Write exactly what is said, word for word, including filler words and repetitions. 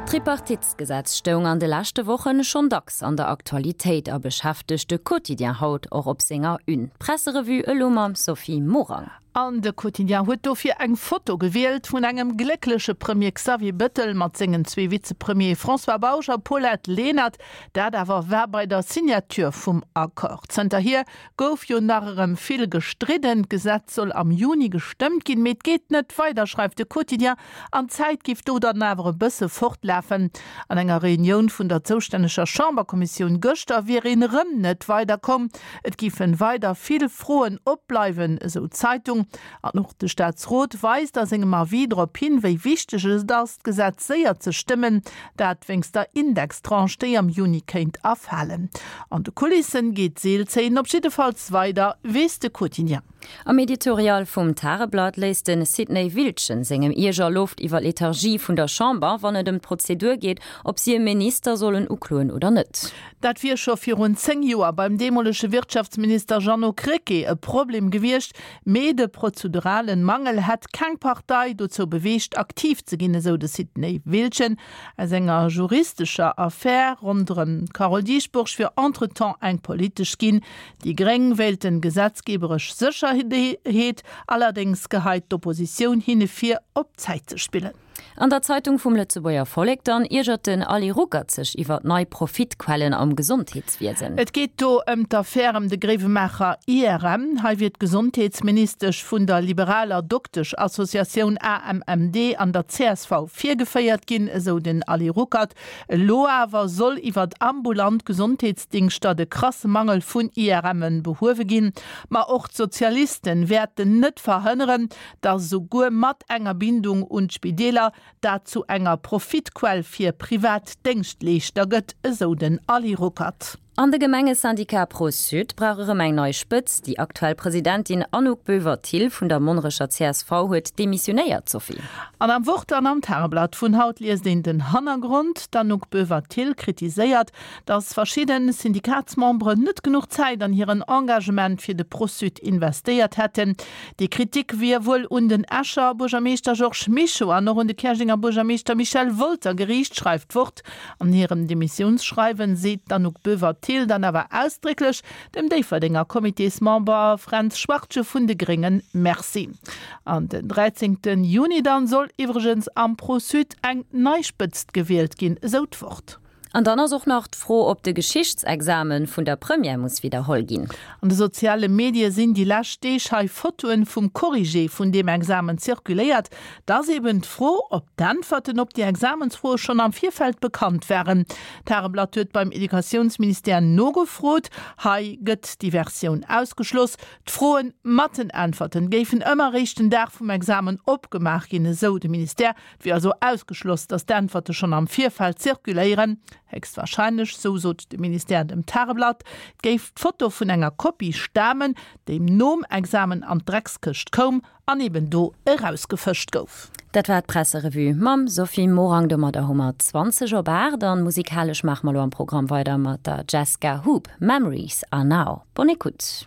D'Tripartitsgesetz stoung an de leschte Wochen schonn dacks an der Aktualitéit a beschäftegt de Quotidien haut och op senger Une. D'Presserevue elo mam Sophie Morang. An de Quotidien huet dofir eng Foto gewielt vun engem gléckleche Premier Xavier Bettel mat sengen zwee Vizepremiere François Bausch a Paulette Lenert. Dat awer war bei der Signature vum Accord. Zënterhier gouf jo nach erëm vill gestridden. D'Gesetz soll am Juni gestëmmt ginn, mee et geet net weider, schreift de Quotidien. An d'Zäit giff do dann awer e bësse fortlafen. An enger Reunioun vun der zoustänneger Chamberkommissioun gëschter wier een erëm net weiderkomm. Et giffen weider vill Froen opbleiwen, esou d'Zeitung. An och de Staatsrot weist a sengem Avis drop hin, wéi wichteg et ass, d'Gesetz séier ze stëmmen, dat wéinst der Indextranche, déi am Juni kéint erfalen. An de Kulissen geet d'Seelzéien op jiddefalls weider, weess de Quotidien. Am Editorial vum Tageblatt léisst de Sidney Wiltgen sengem Ierger Loft iwwer d'Lethargie vun der Chamber, wann et ëm d'Prozedur geet, ob si e Minister sollen ukloen oder net. Dat wier scho virun zéng Joer beim deemolege Wirtschaftsminister Jeannot Krecké e Problem gewiescht, mee de prozeduralen Mangel hätt keng Partei dozou beweegt, aktiv ze ginn, esou de Sidney Wiltgen. Aus enger juristescher Affär ronderëm d'Carole Dieschbourg wier entretemps eng politesch ginn. Déi Gréng wéilten gesetzgeberesch Sécherheet, allerdéngs geheit d'Oppositioun hinne vir, op Zäit ze spillen. An der Zeitung vum Lëtzebuerger Vollek dann iergert den Ali Ruckert sech iwwer nei Profitquellen am Gesondheetswiesen. Et geet do ëm d'Affär ëm de Gréiwemaacher I R M. Hei wier d'Gesondheetsministesch vun der liberaler Dokteschassociatioun A M M D an der C S V virgeféiert ginn, esou den Ali Ruckert. Elo awer soll iwwer ambulant Gesondheetsdingschter de krasse Mangel vun I R Mme behuewe ginn. Ma och d'Sozialisten wäerten net verhënneren, datt esouguer mat enger Bindung un d'Spideeler dat zu enger Profitquell fir privat Déngschtleeschter gëtt, esou den Ali Ruckert. An de Gemengesyndicat Pro-Sud brauch erëm eng nei Spëtzt. Déi aktuell Presidentin Anouk Boever-Thill vun der Monnerecher C S V huet demissionéiert, Sophie. An am Wort an am Tageblatt vun haut liest een den Hannergrond. D'Anouk Boever-Thill kritiséiert, datt verschidde Syndikatsmemberen net genuch Zäit an hiren Engagement fir de Pro-Sud investéiert hätten. Déi Kritik wier wuel un den Escher Buergermeeschter Georges Mischo an och un de Käerjenger Buergermeeschter Michel Wolter geriicht, schreift d'Wort. An hirem Demissiounsschreiwen seet d'Anouk Boever-Thill dann awer ausdrécklech dem Déifferdenger Comitésmember Fränz Schwartje vun de Gréngen Merci. An den dräizéngten Juni dann soll iwwregens am Pro-Sud eng nei Spëtzt gewielt ginn, esou d'Wort. An dann ass och nach d'Fro, ob de Geschichtsexamen vun der Première muss widderholl ginn. An de soziale Medie sinn déi lescht Deeg hei Fotoen vum Corrigé vun deem Examen zirkuléiert. Da ass eben d'Fro, ob d'Äntwerten op déi Examensfroe schonn am Virfeld bekannt waren. D'Tageblatt huet beim Educatiounsministère nogefrot. Hei gëtt déi Versioun ausgeschloss. D'Froen mat den Äntwerten géifen ëmmer eréischt den Dag vum Examen opgemaach ginn, esou de Ministère. Et wier also ausgeschloss, datt d'Äntwerte schonn am Virfeld zirkuléieren. Héchstwahrscheinlech, sou sot de Ministère dem Tageblatt, géif d'Foto vun enger Kopie stamen, déi nom Examen an d'Dreckskëscht koum an eben do erausgefëscht gouf. Dat war d'Presserevue mam Sophie Morang. Domadder hu mer zwanzeg op aacht an musikalesch maache mer elo am Programm weider mat der Jessica Hoop. Memories are now. Bonne écoute.